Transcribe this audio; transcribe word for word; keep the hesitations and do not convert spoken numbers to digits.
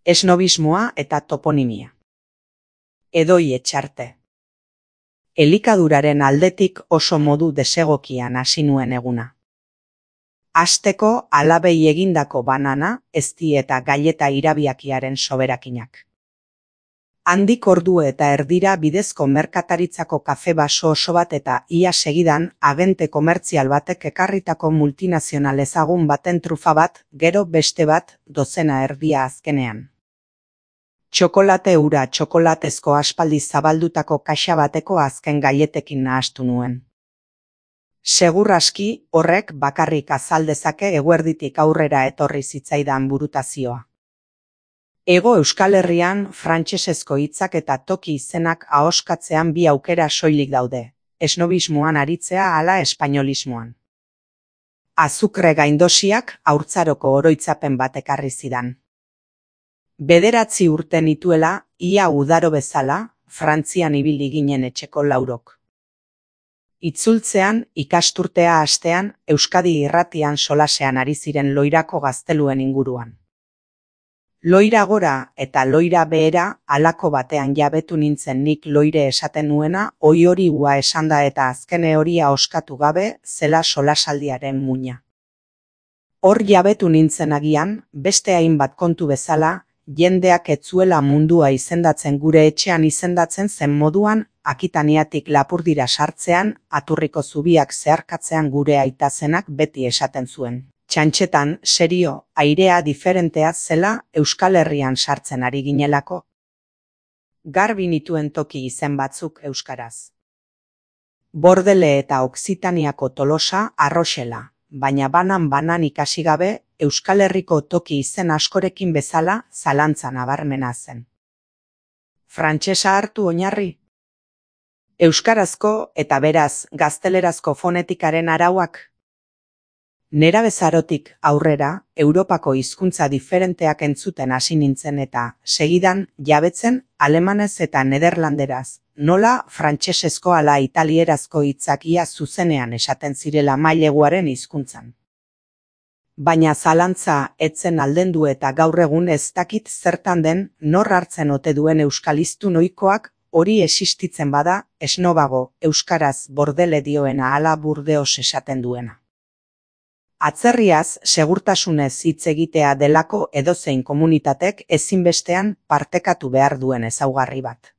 esnobismoa eta toponimia. Edoi Etxarte. Elikaduraren aldetik oso modu desegokian hasi nuen eguna. Hasteko alabei egindako banana, ezti eta gaileta irabiakiaren soberakinak. Handik ordu eta erdira bidezko merkataritzako kafe baso oso bat eta ia segidan agente komertzial batek ekarritako multinazional ezagun baten trufa bat, gero beste bat, dozena erdia azkenean. Txokolate ura txokolatezko aspaldi zabaldutako kaxa bateko azken gailetekin nahastu nuen. Segur aski horrek bakarrik azal dezake eguerditik aurrera etorri zitzaidan burutazioa. Hego Euskal Herrian frantsesezko hitzak eta toki izenak ahoskatzean bi aukera soilik daude, esnobismoan aritzea ala espainolismoan. Azukre gaindosiak haurtzaroko oroitzapen bat ekarri zidan. Bederatzi urte nituela, ia udaro bezala, Frantzian ibili ginen etxeko laurok. Itzultzean, ikasturtea hastean, Euskadi irratian solasean ari ziren Loirako gazteluen inguruan. Loira gora eta loira behera halako batean jabetu nintzen nik loire esaten nuena, oi hori ua esanda eta azkene horia oskatu gabe zela solasaldiaren muina. Hor jabetu nintzen agian, beste hainbat kontu bezala, jendeak ez zuela mundua izendatzen gure etxean izendatzen zen moduan, Akitaniatik Lapurdira sartzean, aturriko zubiak zeharkatzean gure aitazenak beti esaten zuen. Txantxetan, serio, airea diferentea zela Euskal Herrian sartzen ari ginelako. Garbi nituen toki izen batzuk euskaraz. Bordele eta Oksitaniako Tolosa Arroxela, baina banan-banan ikasi gabe, Euskal Herriko toki izen askorekin bezala zalantza nabarmena zen. Frantsesa hartu oinarri? Euskarazko eta beraz gaztelerazko fonetikaren arauak? Nerabezarotik aurrera, Europako hizkuntza diferenteak entzuten hasi nintzen eta, segidan, jabetzen, alemanez eta nederlanderaz, nola frantsesezko ala italierazko hitzak ia zuzenean esaten zirela maileguaren hizkuntzan. Baina zalantza etzen aldendu eta gaur egun ez dakit zertan den, nor hartzen ote duen euskaliztun ohikoak, hori existitzen bada, esnobago, euskaraz bordele dioena ala burdeos esaten duena. Atzerriaz, segurtasunez hitz egitea delako edozein komunitatek ezinbestean partekatu behar duen ezaugarri bat.